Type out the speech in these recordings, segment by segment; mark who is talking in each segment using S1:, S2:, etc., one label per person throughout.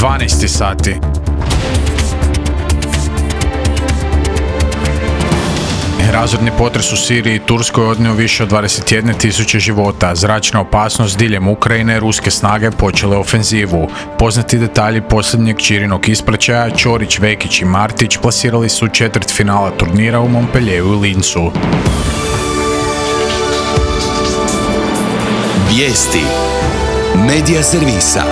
S1: 12 sati. Razorni potres u Siriji i Turskoj odnio više od 21.000 života. Zračna opasnost diljem Ukrajine, ruske snage počele ofenzivu. Poznati detalji posljednjeg Ćirinog ispraćaja, Ćorić, Vekić i Martić plasirali su četvrtfinala turnira u Montpellieru i Lincu.
S2: Vijesti Medija servisa.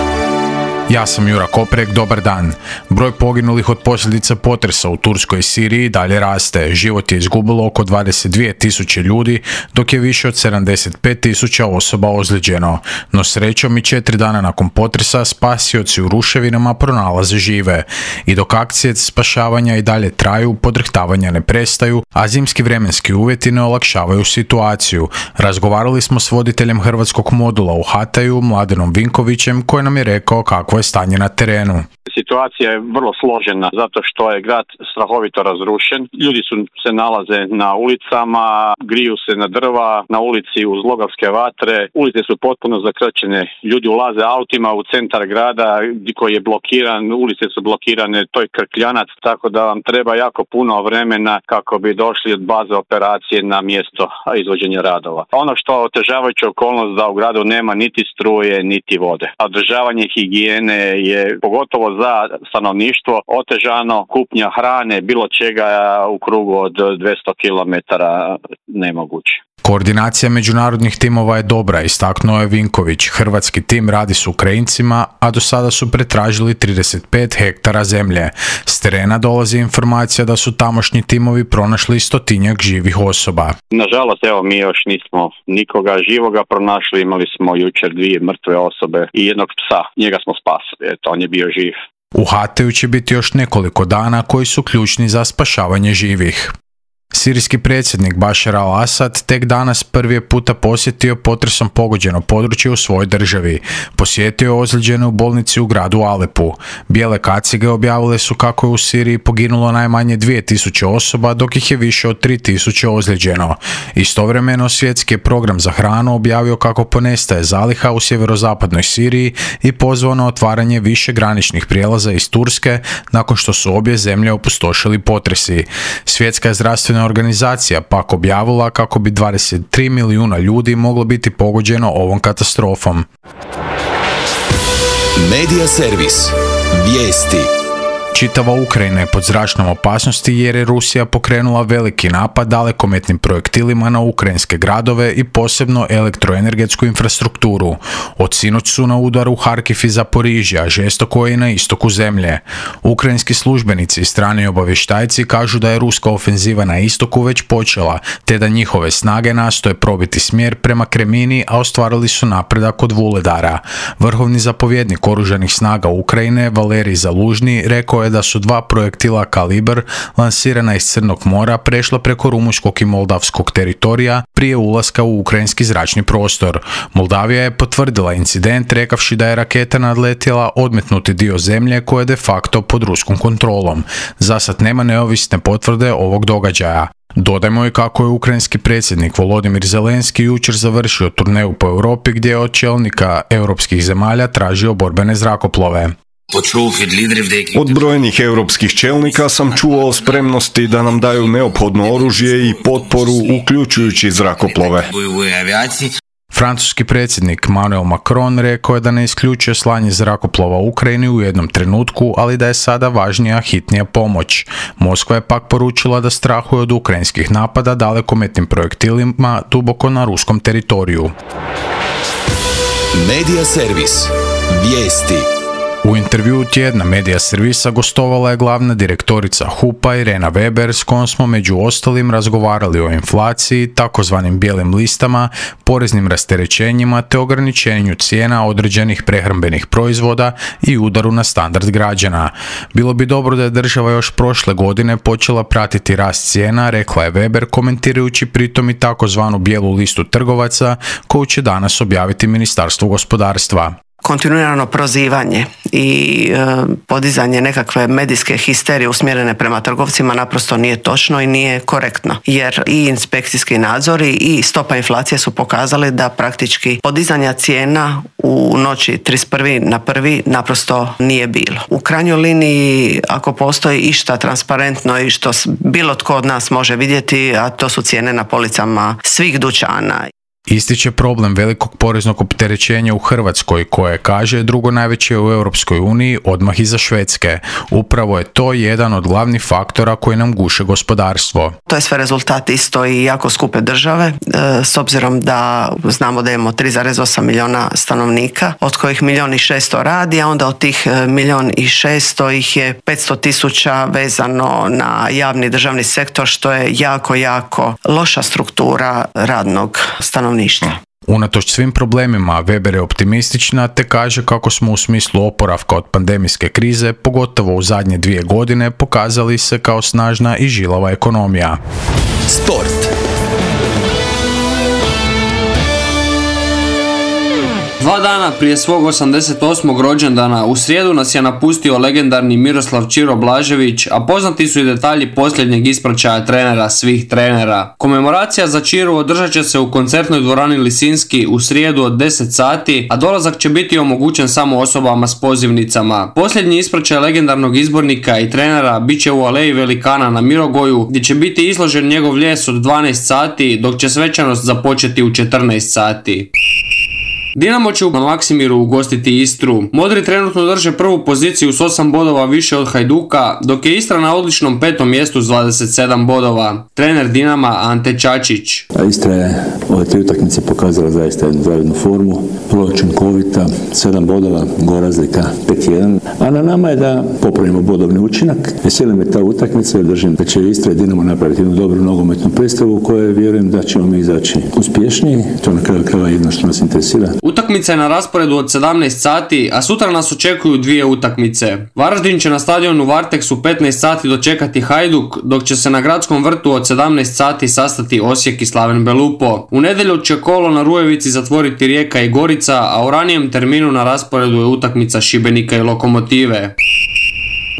S1: Ja sam Jura Koprek, dobar dan. Broj poginulih od posljedica potresa u Turskoj i Siriji dalje raste. Život je izgubilo oko 22.000 ljudi, dok je više od 75.000 osoba ozlijeđeno. No srećom i 4 dana nakon potresa spasioci u ruševinama pronalaze žive. I dok akcije spašavanja i dalje traju, podrhtavanja ne prestaju, a zimski vremenski uvjeti ne olakšavaju situaciju. Razgovarali smo s voditeljem hrvatskog modula u Hataju, Mladenom Vinkovićem, koji nam je rekao kakvo je stanje na terenu.
S3: Situacija je vrlo složena zato što je grad strahovito razrušen. Ljudi se nalaze na ulicama, griju se na drva, na ulici uz logavske vatre. Ulice su potpuno zakrčene. Ljudi ulaze autima u centar grada koji je blokiran, ulice su blokirane, to je krkljanac, tako da vam treba jako puno vremena kako bi došli od baze operacije na mjesto izvođenja radova. Ono što otežavajuća okolnost da u gradu nema niti struje, niti vode. Održavanje higijene je pogotovo za stanovništvo otežano, kupnja hrane, bilo čega u krugu od 200 km nemoguće.
S1: Koordinacija međunarodnih timova je dobra, istaknuo je Vinković. Hrvatski tim radi s Ukrajincima, a do sada su pretražili 35 hektara zemlje. S terena dolazi informacija da su tamošnji timovi pronašli 100-tinjak živih osoba.
S3: Nažalost, mi još nismo nikoga živoga pronašli, imali smo jučer 2 mrtve osobe i jednog psa, njega smo spasili, on je bio živ.
S1: U Hataju će biti još nekoliko dana koji su ključni za spašavanje živih. Sirijski predsjednik Bašar al-Asad tek danas prvi puta posjetio potresom pogođeno područje u svojoj državi. Posjetio je ozlijeđene u bolnici u gradu Alepu. Bijele kacige objavile su kako je u Siriji poginulo najmanje 2000 osoba, dok ih je više od 3000 ozlijeđeno. Istovremeno svjetski je program za hranu objavio kako ponestaje zaliha u sjeverozapadnoj Siriji i pozvao na otvaranje više graničnih prijelaza iz Turske nakon što su obje zemlje opustošili potresi. Svjetska je zdravstvena organizacija pak objavila kako bi 23 milijuna ljudi moglo biti pogođeno ovom katastrofom.
S2: Medija servis. Vijesti.
S1: Čitava Ukrajina je pod zračnom opasnosti jer je Rusija pokrenula veliki napad dalekometnim projektilima na ukrajinske gradove i posebno elektroenergetsku infrastrukturu. Od sinoć su na udaru Harkiv i Zaporižja, žestoko je i na istoku zemlje. Ukrajinski službenici i strani obavještajci kažu da je ruska ofenziva na istoku već počela, te da njihove snage nastoje probiti smjer prema Kremini, a ostvarili su napredak od Vuledara. Vrhovni zapovjednik oružanih snaga Ukrajine, Valerij Zalužni, rekao je da su 2 projektila Kalibr lansirana iz Crnog mora prešla preko rumunjskog i moldavskog teritorija prije ulaska u ukrajinski zračni prostor. Moldavija je potvrdila incident rekavši da je raketa nadletjela odmetnuti dio zemlje koje je de facto pod ruskom kontrolom. Zasad nema neovisne potvrde ovog događaja. Dodajmo i kako je ukrajinski predsjednik Volodimir Zelenski jučer završio turneju po Europi gdje je od čelnika europskih zemalja tražio borbene zrakoplove.
S4: Od brojnih europskih čelnika sam čuo o spremnosti da nam daju neophodno oružje i potporu, uključujući zrakoplove.
S1: Francuski predsjednik Emmanuel Macron rekao je da ne isključuje slanje zrakoplova u Ukrajini u jednom trenutku, ali da je sada važnija hitnija pomoć. Moskva je pak poručila da strahuje od ukrajinskih napada dalekometnim projektilima duboko na ruskom teritoriju.
S2: Medija servis. Vijesti.
S1: U intervjuu tjedna Medija servisa gostovala je glavna direktorica HUP-a Irena Weber, s kojom smo među ostalim razgovarali o inflaciji, takozvanim bijelim listama, poreznim rasterećenjima te ograničenju cijena određenih prehrambenih proizvoda i udaru na standard građana. Bilo bi dobro da je država još prošle godine počela pratiti rast cijena, rekla je Weber, komentirajući pritom i takozvanu bijelu listu trgovaca koju će danas objaviti Ministarstvo gospodarstva.
S5: kontinuirano prozivanje i podizanje nekakve medijske histerije usmjerene prema trgovcima naprosto nije točno i nije korektno. Jer i inspekcijski nadzori i stopa inflacije su pokazali da praktički podizanja cijena u noći 31. na 1. naprosto nije bilo. U krajnjoj liniji, ako postoji išta transparentno i što bilo tko od nas može vidjeti, a to su cijene na policama svih dućana.
S1: Ističe problem velikog poreznog opterećenja u Hrvatskoj, koje kaže drugo najveće u Europskoj uniji odmah iza Švedske. Upravo je to jedan od glavnih faktora koji nam guše gospodarstvo.
S5: To je sve rezultat isto i jako skupe države, s obzirom da znamo da imamo 3,8 milijuna stanovnika, od kojih 1.600.000 radi, a onda od tih 1.600.000 ih je 500.000 vezano na javni državni sektor, što je jako, jako loša struktura radnog stanovništva.
S1: Unatoč svim problemima, Weber je optimistična te kaže kako smo u smislu oporavka od pandemijske krize, pogotovo u zadnje 2 godine, pokazali se kao snažna i žilava ekonomija.
S2: Sport.
S6: 2 dana prije svog 88. rođendana u srijedu nas je napustio legendarni Miroslav Ćiro Blažević, a poznati su i detalji posljednjeg ispraćaja trenera svih trenera. Komemoracija za Ćiru održat će se u koncertnoj dvorani Lisinski u srijedu od 10 sati, a dolazak će biti omogućen samo osobama s pozivnicama. Posljednji ispraćaj legendarnog izbornika i trenera bit će u Aleji Velikana na Mirogoju, gdje će biti izložen njegov ljes od 12 sati, dok će svečanost započeti u 14 sati. Dinamo će na Maksimiru ugostiti Istru. Modri trenutno drže prvu poziciju s 8 bodova više od Hajduka, dok je Istra na odličnom 5. mjestu s 27 bodova. Trener Dinama Ante Čačić.
S7: Istra je ove 3 utakmice pokazala zaista jednu zavidnu formu, vrlo učinkovita, 7 bodova, gol razlika 5-1, a na nama je da popravimo bodovni učinak. Veseli me ta utakmica jer držim da će Istra i Dinamo napraviti jednu dobru nogometnu predstavu u kojoj vjerujem da ćemo mi izaći uspješniji. To na kraju krajeva jedno što nas interesira.
S6: Utakmica je na rasporedu od 17 sati, a sutra nas očekuju 2 utakmice. Varaždin će na stadionu Varteks u 15 sati dočekati Hajduk, dok će se na Gradskom vrtu od 17 sati sastati Osijek i Slaven Belupo. U nedjelju će kolo na Rujevici zatvoriti Rijeka i Gorica, a u ranijem terminu na rasporedu je utakmica Šibenika i Lokomotive.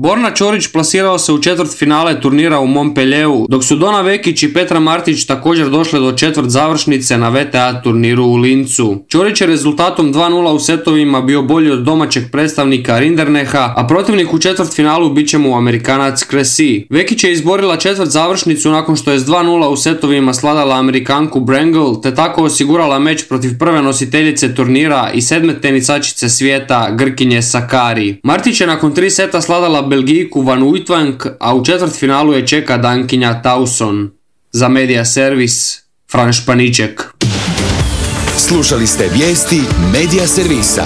S6: Borna Ćorić plasirao se u četvrtfinale turnira u Montpellieru, dok su Dona Vekić i Petra Martić također došle do četvrt završnice na VTA turniru u Lincu. Ćorić je rezultatom 2-0 u setovima bio bolji od domaćeg predstavnika Rinderneha, a protivnik u četvrtfinalu bit će mu Amerikanac Cressy. Vekić je izborila četvrt završnicu nakon što je s 2-0 u setovima sladala Amerikanku Brangle, te tako osigurala meč protiv prve nositeljice turnira i 7. tenisačice svijeta Grkinje Sakari. Martić je nakon 3 seta sladala Belgijku Van Uytvanck, a u četvrtfinalu je čeka Dankinja Tauson. Za Media Servis, Fran Španiček.
S2: Slušali ste vijesti Media Servisa.